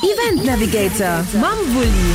Event Navigator mam Wulli.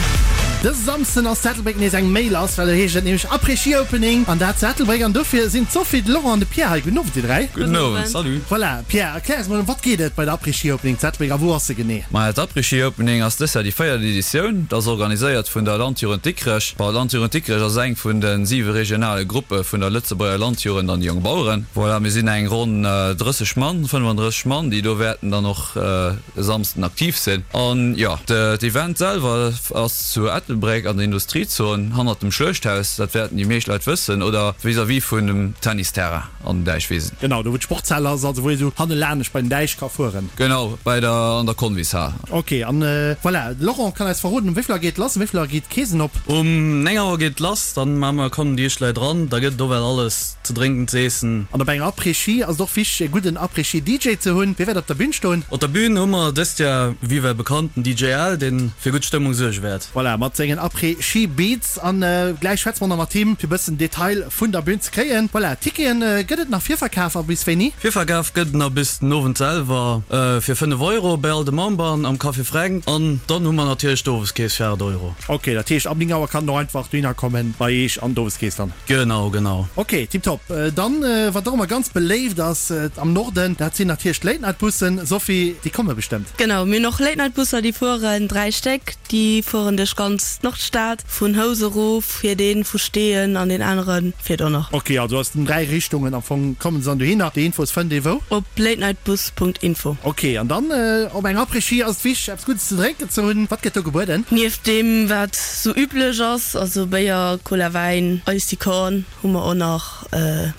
Dëse Samsden ass zu Ettelbréck nees eng Méi lass, well et heescht et nämlech Après-Ski Opening an dat zu Ettelbréck an dofir sinn d'Sophie, de Laurent an de Pierre hei. Gudden Owend dir 3. Gudden Owend, salut. Voilà, Pierre, erklär eis mol, ëm wat geet et bei der Après-Ski Opening zu Ettelbréck a wou ass se genee? Maja, d'Après-Ski Opening ass dës Jahr déi véiert Editioun. Et ass organiséiert vun der Landjugend Dikrech. Bon, d'Landjugend Dikrech ass eng vun de siwe regionale Gruppe vun der Lëtzebuerger Landjugend an de Jongbaueren. Voilà, mir sinn eng ronn 30 Mann, 35 Mann, déi do wäerten dann och e Samsden aktiv sinn. An jo, d'Event selwer ass zu Ettelbréck an der Industriezon, hannert dem Schluechthaus, dat wäerten déi meescht Leit wëssen, oder vis-à-vis vun dem Tennisterrain an den Däichwisen. Genau, do wou d'Sportshal ass, also wou ee sou hannelaanescht bei den Däich ka fueren. Genau, bei der, an der Convishal. Ok, an voilà, de Laurent kann eis verroden, um wéi vill Auer geet et lass, um wéi vill Auer geet d'Keesen op? Um 9 Auer geet et lass, dann maache mer, kommen déi éischt Leit eran, da gëtt et och well alles Ze drénken, z'eessen. An op enger Après-Ski ass et och wichteg e gudden Après-Ski-DJ ze hunn. Wie wäert op der Bühn stoen? Op der Bühn hu mer dëst Jahr wéi well bekannt den DJ Al, deen fir gutt Stëmmung suerge wäert. Voilà, mat sengen Après-Ski-Beats. An gläich schwätze mer nach mat him fir bëssen Detail vun der Bühn ze kréien. Voilà, Ticketen gëtt et nach Virverkaf a bis wéini? Virverkaf gëtt et nach bis den Owend selwer fir 5 Euro bei all de Memberen am Café Fränk. An dann hu mer natierlech d'Oweskeess fir 8 Euro. Ok, dat heescht ab 9 Auer kann en och einfach dohinner kommen bei eech an d'Oweskeess dann? Genau, genau. Ok, tiptop. Dann, wat och ëmmer ganz beléift ass am Norden, dat sinn natierlech d'Late-Night-Bussen. Sophie, déi komme bestëmmt? Genau, mir hunn och Late-Night-Busser, déi fueren, 3 Stéck, déi fueren duerch ganz d'Nordstad, vun Housen erof fiert een, vu Steeën an deen anere fiert och nach. Ok, also aus den 3 Richtungen am Fong kommen se dann dohinner. Déi Infos fënnt ee wou? Op latenightbus.info. Ok, an dann op eng Après-Ski ass et wichteg eppes Guddes ze drénken ze hunn. Wat gëtt do gebueden? Nieft deem wat sou üblech ass, also Béier, Cola, Wäin, Ice Korn, hu mer och nach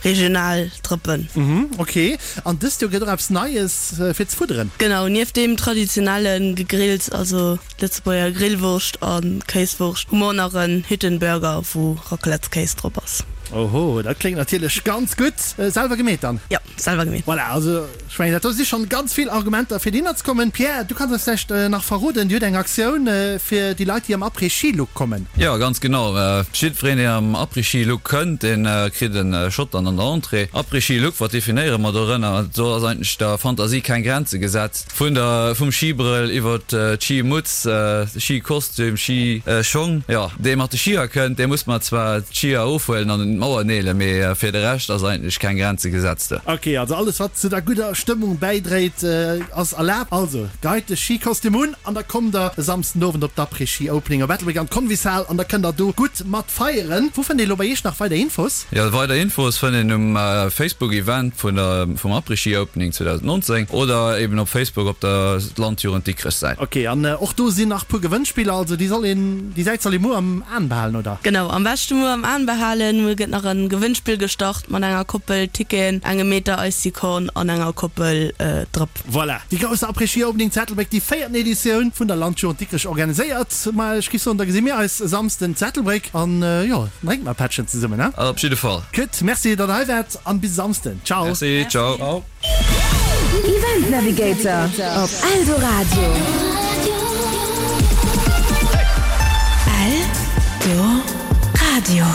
regional Drëppen. Mhm, ok. An dëst Joer gëtt och eppes Neies fir ze fudderen? Genau, nieft deem traditionelle Gegrills, also Lëtzebuerger Grillwurscht a Kéiswurscht, hu mer och nach en Hüttenburger, wou Raclettekéis drop ass. Oho, dat kléngt natierlech ganz gutt. Selwer gemeet dann? Jo. Selwer gemeet. Voilà, also ech mengen dat do si schonn ganz vill Argumenter fir dohinner ze kommen. Pierre, du kanns eis vläicht nach verroden, Dir hutt eng Aktioun fir déi Leit déi am Après-Ski-Look kommen. Jo, ganz genau. Jiddwereen deen am Après-Ski-Look kënnt, dee kritt e Shot dann an der Entrée. Après-Ski-Look, wat definéiere mer dorënner? Do ass eigentlech der Fantasie keng Grenze gesat. Vun der, vum Schibrëll iwwert d'Schimutz, Schikostüm, Schischong, jo, dee mat de Schier kënnt, dee muss mer zwar d'Schier ofhuelen an un d'Mauer neelen, mee fir de Rescht ass eigentlech keng Grenze gesetzt. Ok, also alles wat zu der gudder Stëmmung bäidréit ass erlaabt. Also geit de Schikostüm un an da kommt der e Samsden Owend op d'Après-Ski Opening op Ettelbréck an d'Convishal an da kënnt der do gutt mat feieren. Wou fënnt ee lo bei iech nach weider Infos? Jo, weider Infos fënnt een um Facebook Event vun der vum Après-Ski Opening 2019 oder eben op Facebook op der Landjugend Dikrech Säit. Ok, an och do sinn nach puer Gewënnspiller, also déi soll een, déi Säit soll ee muer am Aan behalen, oder? Genau, am beschte muer am Aan behalen. Muer gëtt nach en Gewënnspill gestart mat enger Koppel Ticketen, engem Meter Icy-Corn an enger Koppel Drëpp. Voilà, déi grousse Après-Ski Opening zu Ettelbréck, déi véierten Editioun vun der Landjugend Dikrech organiséiert. Ma ech giff soen, da gesi mir eis e Samsden zu Ettelbréck an jo, dann drénke mer e Pättchen zesummen, he? Op jidde Fall. Gutt, merci datt der hei waart an bis e Samsden. Ciao. Merci, ciao. Event Navigator op Eldoradio. Eldoradio.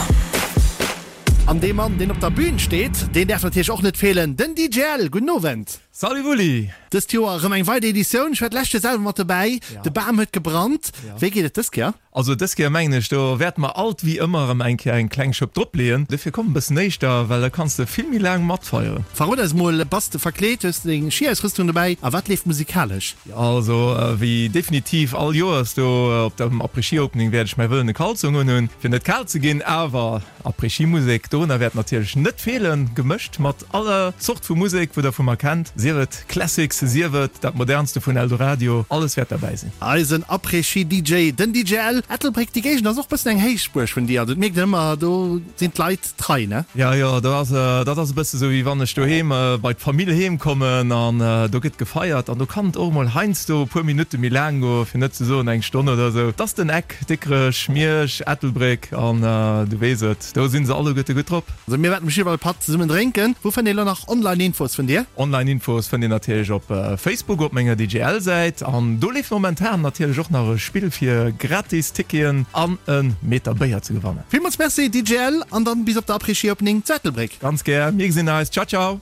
An dee Mann, deen op der Bühn steet, deen däerf natierlech och net feelen, den DJ L. Gudden Owend. Salut Wulli! Dëst Joer erëm eng weider Editioun. Ech war d'lescht Joer selwer mat dobäi. De Bam huet gebrannt. Wéi geet et dës Kéier? Also dës Kéier mengen ech, do wäerte mer alt wéi ëmmer erëm eng Kéier eng kleng Schëpp drop leeën. Dofir komm e bëssen éischter, well da kanns de vill méi laang matfeieren. Verrot eis mol, bass de verkleet? Hues de deng Schiausrüstung dobäi? A wat leeft musikalesch? Also wéi definitiv all Joers do op dem Après-Ski-Opening wäert ech mäi wëllene Kalzong unhunn, fir net kal ze ginn. Awer Après-Ski-Musek, dorunner wäert natierlech net feelen, gemëscht mat aller Zort vu Musek, wou der vu mer kennt, sief et Classics, sief et dat Modernste vun Eldoradio, alles wäert derbäi sinn. Eisen Après-Ski-DJ, den DJ L. Ettelbréck, déi Géigend ass och bëssen eng Héichbuerg vun dir, also et mierkt een ëmmer, do sinn d'Leit trei, ne? Jo, jo, do ass, dat ass e bësse sou, wéi wann ech doheem bei d'Famill heem kommen an do gëtt gefeiert an do kann et och emol heiansdo e puer Minutte méi laang goen, fir net ze soen eng Stonn oder sou. Et ass den Eck, Dikrech, Miersch, Ettelbréck an du weess et. Do sinn se alleguerte gutt drop. Also mir wäerten bestimmt e Patt zesummen drénken. Wou fënnt een elo nach online Infos vun dir? Online Infos fënnt een natierlech op Facebook op menger DJL Säit an do leeft momentan natierlech och nach e Spill fir gratis Ticketen an e Meter Béier ze gewannen. Villmools Merci DJL an dann bis op der Après-Ski Opening zu Ettelbréck. Ganz gär, mir gesinn eis. Ciao ciao.